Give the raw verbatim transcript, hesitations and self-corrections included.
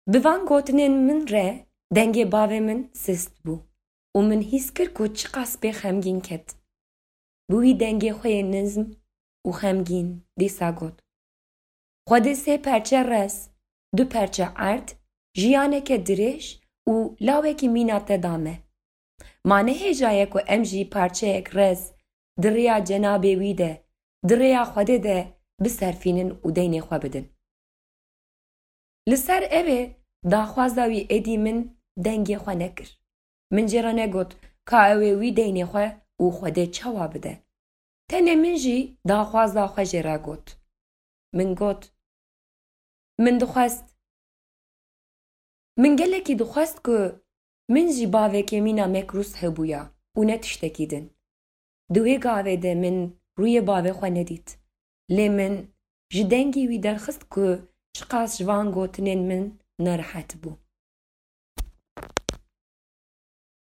Bi van gotinên min re dengê bavê min sist bû û min hîs kir ku çiqas pê xemgîn ket. Bi wî dengê xwe yê nizm û xemgîn dîsa got: Xwedê sê perçe rez, du perçe erd, jiyaneke dirêj û lawekî mîna te da me. Ma ne hêja ye ku em jî parçeyek rez di rêya cenabê wî de, di rêya Xwedê de biserfînin û deynê xwe bidin. Li ser evê daxwaza wî êdî min dengê xwe nekir. Min jê re negot ka ew ê wî deynê xwe û Xwedê çawa bide. Tenê min jî daxwaza xwe jê re got. Min got: Min dixwest. Min gelekî dixwest ku min jî bavekê mîna Mekrûs hebûya û ne tiştekî din. Di wê gavê de min rûyê bavê xwe nedît. Lê min ji dengê wî derxist ku çiqas ji van gotinên min nerehet bû.